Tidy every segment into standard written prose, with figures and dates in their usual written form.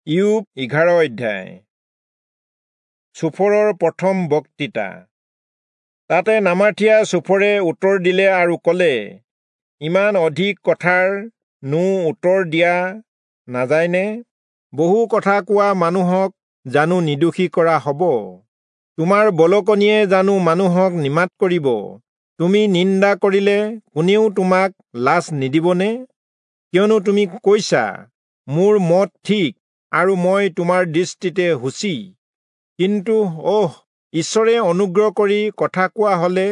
ইয়োব 11 অধ্যায়। চোফৰৰ প্ৰথম বক্তৃতা। তাতে নামাথীয়া চোফৰে উত্তৰ দিলে আৰু ক'লে, ইমান অধিক কথাৰ নো উত্তৰ দিয়া নাযায়নে? বহু কথা কোৱা মানুহক জানো নিৰ্দোষী কৰা হ'ব? তোমাৰ বলকনিয়ে জানো মানুহক নিমাত কৰিব? তুমি নিন্দা কৰিলে কোনেও তোমাক লাজ নিদিবনে? কিয়নো তুমি কৈছা, মোৰ মত ঠিক আৰু মই তোমাৰ দৃষ্টিতে শুচি। কিন্তু অহ, ঈশ্বৰে অনুগ্ৰহ কৰি কথা কোৱা হলে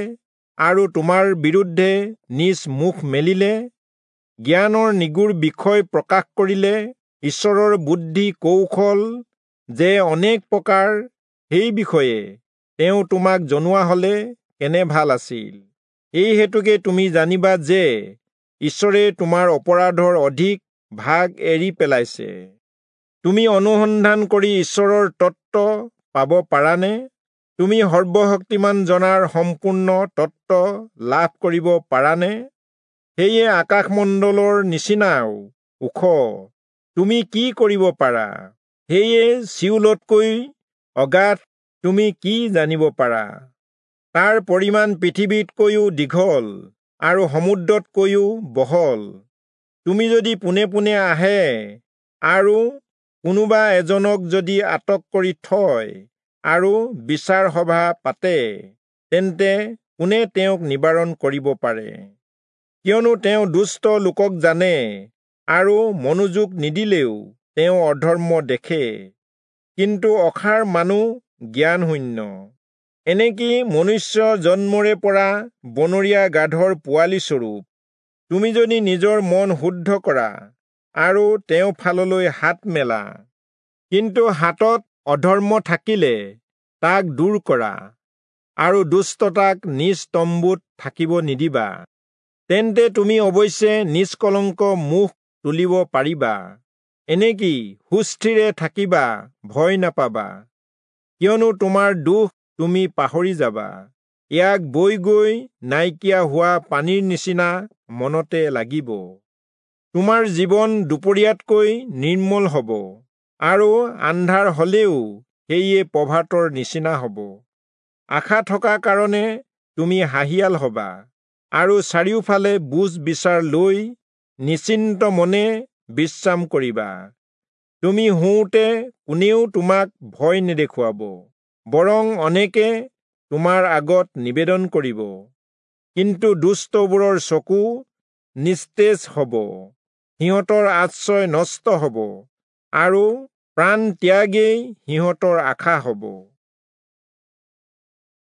আৰু তোমাৰ বিৰুদ্ধে নিজ মুখ মেলিলে, জ্ঞানৰ নিগূঢ় বিষয় প্ৰকাশ কৰিলে, ঈশ্বৰৰ বুদ্ধি কৌশল যে অনেক প্ৰকাৰ সেই বিষয়ে তেওঁ তোমাক জনোৱা হলে কেনে ভাল আছিল। এই হেতুকে তুমি জানিবা যে ঈশ্বৰে তোমাৰ অপৰাধৰ অধিক ভাগ এৰি পেলাইছে। তুমি অনুসন্ধান কৰি ঈশ্বৰৰ তত্ত্ব পাব পাৰানে? তুমি সৰ্বশক্তিমান জনাৰ সম্পূৰ্ণ তত্ত্ব লাভ কৰিব পাৰানে? সেয়ে আকাশমণ্ডলৰ নিচিনাও ওখ, তুমি কি কৰিব পাৰা? সেয়ে চিউলতকৈ অগাধ, তুমি কি জানিব পাৰা? তাৰ পৰিমাণ পৃথিৱীতকৈও দীঘল আৰু সমুদ্ৰতকৈও বহল। তুমি যদি পোনে পোনে আহে আৰু কোনোবা এজনক যদি আটক কৰি থয় আৰু বিচাৰ সভা পাতে, তেন্তে কোনে তেওঁক নিবাৰণ কৰিব পাৰে? কিয়নো তেওঁ দুষ্ট লোকক জানে আৰু মনোযোগ নিদিলেও তেওঁ অধৰ্ম দেখে। কিন্তু অসাৰ মানুহ জ্ঞানশূন্য। এনেকি মনুষ্য জন্মৰে পৰা বনৰীয়া গাধৰ পোৱালি স্বৰূপ। তুমি যদি নিজৰ মন শুদ্ধ কৰা আৰু তেওঁ ফাললৈ হাত মেলা, কিন্তু হাতত অধৰ্ম থাকিলে তাক দূৰ কৰা আৰু দুষ্টতাক নিজ তম্বুত থাকিব নিদিবা। তেন্তে তুমি অৱশ্যে নিষ্কলংক মুখ তুলিব পাৰিবা, এনেকি সুস্থিৰে থাকিবা, ভয় নাপাবা। কিয়নো তোমাৰ দুখ তুমি পাহৰি যাবা, ইয়াক বৈ গৈ নাইকিয়া হোৱা পানীৰ নিচিনা মনতে লাগিব। তোমাৰ জীৱন দুপৰীয়াতকৈ নিৰ্মল হ'ব আৰু আন্ধাৰ হলেও সেয়ে প্ৰভাতৰ নিচিনা হ'ব। আশা থকা কাৰণে তুমি হাঁহিয়াল হবা আৰু চাৰিওফালে বুজ বিচাৰ লৈ নিশ্চিন্ত মনে বিশ্ৰাম কৰিবা। তুমি শুওঁতে কোনেও তোমাক ভয় নেদেখুৱাব, বৰং অনেকে তোমাৰ আগত নিবেদন কৰিব। কিন্তু দুষ্টবোৰৰ চকু নিস্তেজ হ'ব, সিহঁতৰ আশ্ৰয় নষ্ট হ'ব আৰু প্ৰাণ ত্যাগেই সিহঁতৰ আশা হ'ব।